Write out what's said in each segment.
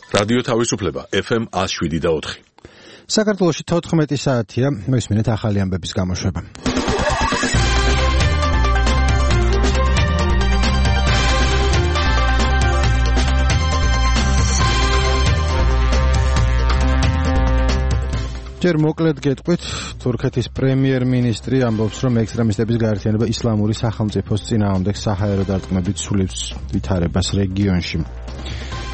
რადიო თავისუფლება FM 107.4. საქართველოში 14 საათია, მისმინეთ ახალი ამბების გამოშვება. ჯერ მოკლედ გეტყვით, თურქეთის პრემიერ-მინისტრი ამბობს, რომ ექსტრემისტების გაერთიანება ისლამური სახელმწიფოს წინააღმდეგ საჰაერო დარტყმებით სულებს ვითარებას რეგიონში.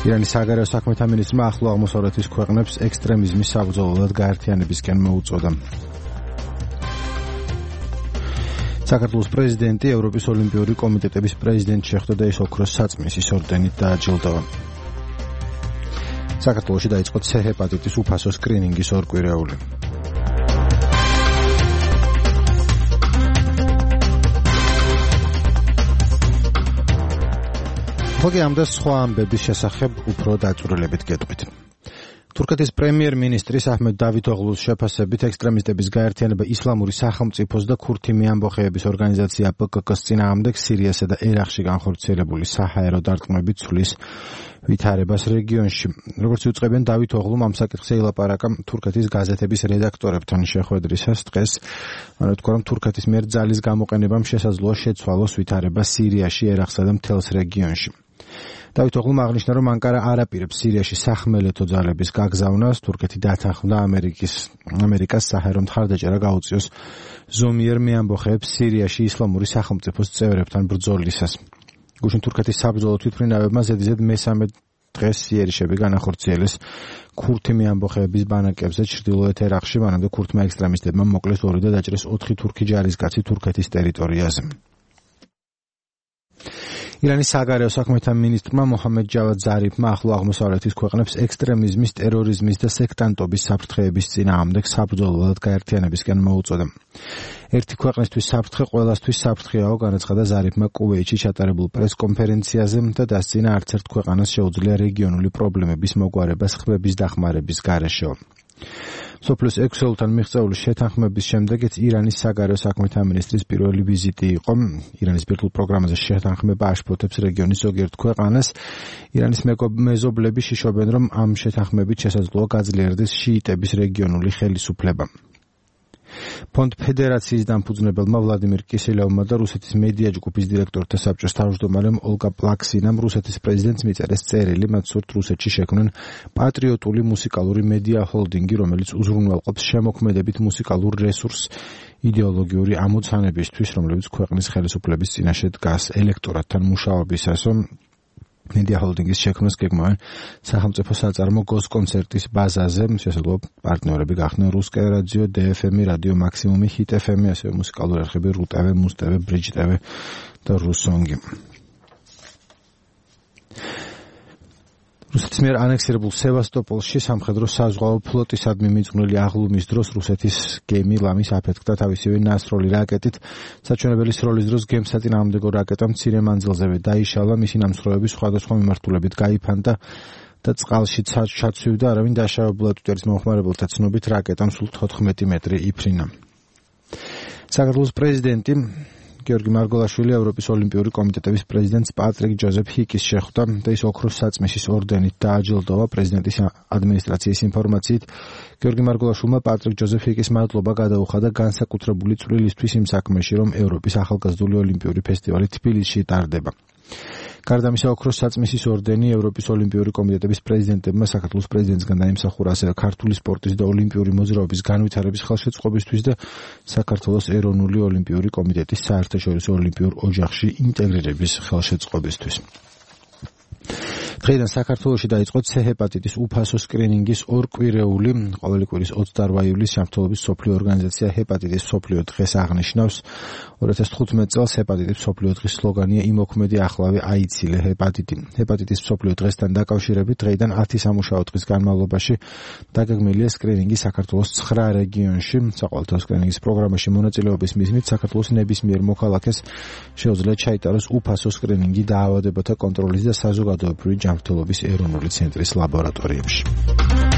ირანის საგარეო საქმეთა მინისტრმა ახლო აღმოსავლეთის ქვეყნებს ექსტრემიზმის საბრძოლოდ გაერთიანებისკენ მოუწოდა. საქართველოს პრეზიდენტი ევროპის ოლიმპიური კომიტეტების პრეზიდენტს შეხვდა და ის ოქროს საწმისის ორდენით დააჯილდოვა. საქართველოში დაიწყო C ჰეპატიტის უფასო სკრინინგის ორკვირეული. ხოლმე ამ და სხვა ამბების შესახებ უფრო დაწვრილებით გეტყვით. თურქეთის პრემიერ-მინისტრის აჰმედ დავითოღლუს შეფასებით ექსტრემისტების გაერთიანება ისლამური სახელმწიფოს და ქურთი ამბოხეების ორგანიზაცია PKK-ს წინააღმდეგ სირიასა და ერაყში განხორციელებული საჰაერო დარტყმებით სulis ვითარებას რეგიონში. როგორც იუწყებენ დავითოღლუმ ამ საკითხზე ილაპარაკა თურქეთის გაზეთების რედაქტორებთან შეხვედრისას დღეს. მან თქვა, რომ თურქეთის მიერ ძალის გამოყენებამ შესაძლოა შეცვალოს ვითარება სირიაში, ერაყსა და მთელს რეგიონში. დავითოღლუმ აღნიშნა, რომ ანკარა არ აპირებს სირიაში სახმელეთო ძალების გაგზავნას, თურქეთი დათანხმდა ამერიკას საჰაერო მხარდაჭერა გაუწიოს ზომიერ მეამბოხეებს სირიაში ისლამური სახელმწიფოს წევრებთან ბრძოლისას. გუშინ თურქეთის საბრძოლო თვითმფრინავებმა ზედიზედ მესამე დღეს იერიშები განახორციელეს ქურთი ამბოხეების ბანაკებზე ჩრდილოეთ ერაყში, მანამდე ქურთმა ექსტრემისტებმა მოკლეს 2 და დაჭრეს 4 თურქი ჯარისკაცი თურქეთის ტერიტორიაზე. ირანის საგარეო საქმეთა მინისტრმა მოჰამედ ჯავად ზარიფმა ახლო აღმოსავლეთის ქვეყნებს ექსტრემიზმის, ტერორიზმის და სექტანტობის საფრთხეების წინააღმდეგ საბრძოლოდ გაერთიანებისკენ მოუწოდა. ერთი ქვეყნისთვის საფრთხე ყველასთვის საფრთხეაო, განაცხადა ზარიფმა კუვეითში ჩატარებულ პრესკონფერენციაზე და დასცინა არც ერთ ქვეყანას შეუძლია რეგიონული პრობლემების მოგვარებას ხმების დახმარების გარეშე. სოფლის ექსელთან მიღწეული შეთანხმების შემდეგაც ირანის საგარეო საქმეთა მინისტრის პირველი ვიზიტი იყო. ირანის ბირთვულ პროგრამაზე შეთანხმება აშფოთებს რეგიონის ზოგიერთ ქვეყანას. ირანის მეზობლები შიშობენ, რომ ამ შეთანხმებით შესაძლოა გაძლიერდეს შიიტების რეგიონული ხელისუფლება. ფონდ ფედერაციის დამფუძნებელმა ვლადიმირ კისელევმა და რუსეთის მედია ჯგუფის დირექტორთა საბჭოს თავმჯდომარემ ოლგა პლაქსინამ რუსეთის პრეზიდენტს მიწერეს წერილი, მათ სურთ რუსეთში შექმნან პატრიოტული მუსიკალური მედია ჰოლდინგი, რომელიც უზრუნველყოფს შემოქმედებით მუსიკალურ რესურსს იდეოლოგიური ამოცანებისთვის, რომლებიც ქვეყნის ხელისუფლების წინაშე დგას ელექტორატთან მუშაობისას. მედია ჰოლდინგის შექმნას გეგმავენ სახელმწიფო საწარმო გოსკონცერტის ბაზაზე, შესაძლოა პარტნიორები გახდნენ რუსკე რადიო, DFM, რადიო მაქსიმუმი, ჰიტ FM, ასევე მუსიკალური არხები RU-TV, MUZ-TV, BRIDGE-TV და RUSONG-ი. რუსეთის მიერ ანექსირებულ სევასტოპოლში სამხედრო საზღვაო ფლოტისადმი მიძღვნილი აღლუმის დროს რუსეთის გემი ლამის აფეთქდა თავისივე ნასროლი რაკეტით. საჩვენებელი სროლის დროს გემს საწინააღმდეგო რაკეტა მცირე მანძილზევე დაიშალა, მისი ნამსხვრევები სხვადასხვა მიმართულებით გაიფანტა და წყალში ჩაცვივდა, არავინ დაშავებულად უწევს მომხმარებელთა ცნობით რაკეტამ სულ 14 მეტრი იფრინა. საქართველოს პრეზიდენტი გიორგი მარგოლაშვილი ევროპის ოლიმპიური კომიტეტების პრეზიდენტს პატრიკ ჯოზეფ ჰიკის შეხვდა და ის ოქროს საწმისის ორდენით დააჯილდოვა. პრეზიდენტის ადმინისტრაციის ინფორმაციით გიორგი მარგოლაშვილმა პატრიკ ჯოზეფ ჰიკის მადლობა გადაუხადა განსაკუთრებული წვლილისთვის იმ საქმეში, რომ ევროპის ახალგაზრდული ოლიმპიური ფესტივალი თბილისში ტარდება. გარდა ამისა, ოქროს საწმისის ორდენი ევროპის ოლიმპიური კომიტეტების პრეზიდენტებმა საქართველოს პრეზიდენტსგან დაიმსახურა ასევე ქართული სპორტის და ოლიმპიური მოძრაობის განვითარების ხელშეწყობისთვის და საქართველოს ეროვნული ოლიმპიური კომიტეტის საერთაშორისო ოლიმპიურ ოჯახში ინტეგრირების ხელშეწყობისთვის. დღეიდან საქართველოში დაიწყო C ჰეპატიტის უფასო სკრინინგის ორკვირეული. ყოველი კვირის 28 ივლისს ჯანმრთელობის მსოფლიო ორგანიზაცია ჰეპატიტის მსოფლიო დღეს აღნიშნავს. 2015 წელს ჰეპატიტის მსოფლიო დღის სლოგანია „იმოქმედი ახლავე აიცილე ჰეპატიტი“. ჰეპატიტის მსოფლიო დღესთან დაკავშირებით დღეიდან 10 სამუშაო დღის განმავლობაში დაგეგმილია სკრინინგი საქართველოს 9 რეგიონში. საყოველთაო სკრინინგის პროგრამაში მონაწილეობის მიზნით საქართველოს ნებისმიერ მოქალაქეს შეუძლია ჩაიტაროს უფასო სკრინინგი დაავადებათა კონტროლის და საზოგადოებრივი ჯანმრთელობის ეროვნული ცენტრის ლაბორატორიებში.